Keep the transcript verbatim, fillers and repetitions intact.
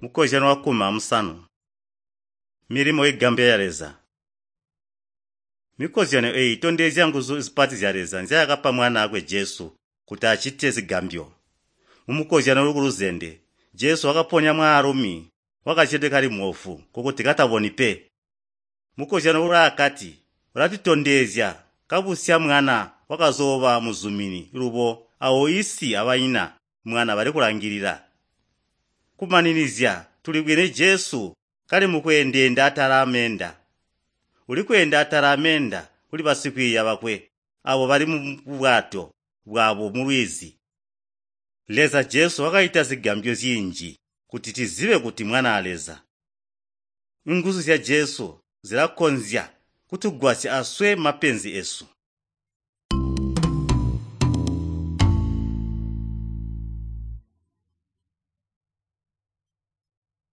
Mukozyano wakkumi amusanu. Milimo igambya ya Leza. Mikozyano eeyi itondezya nguzu zipati zya Leza nzyaakapa Mwanaakwe Jesu kuti acite zigambyo. Mumukozyano uli kuluzende, Jesu wakaponya mwaalumi wakazyedwe kali moofu, nkokuti kataboni pe. Mukozyano ulaakati ulatutondezya kabusya mwana wakazooba muzumini lubo awo isi abanyina mwana bali kulangilila. Kumaninizya tulibwene Jesu kali mukweendeenda atala ameenda. Ulikweenda atala ameenda kuli basikwiiya bakwe aabo bali mubwato bwabo mulwizi. Leza Jesu wakacita zigambyo zinji kuti tizibe kuti Mwanaa Leza. Nguzu zya Jesu zilakonzya kutugwasya aswe mapenzi esu.